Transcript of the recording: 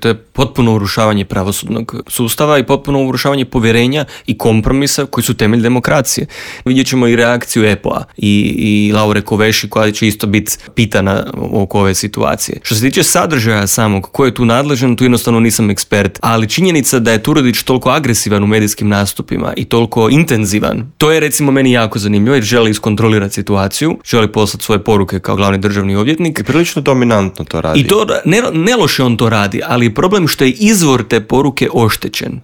To je potpuno urušavanje pravosudnog sustava i potpuno urušavanje povjerenja i kompromisa koji su temelj demokracije. Vidjet ćemo i reakciju EPO-a i Laure Kovesi koja će isto biti pitana oko ove situacije. Što se tiče sadržaja samog, ko je tu nadležan, tu jednostavno nisam ekspert, ali činjenica da je Turudić toliko agresivan u medijskim nastupima i toliko intenzivan, to je recimo meni jako zanimljivo jer želi iskontrolirati situaciju, želi poslati svoje poruke kao glavni državni odvjetnik. I prilično dominantno to radi. I to ne loše on to radi, ali je problem što je izvor te poruke oštećen.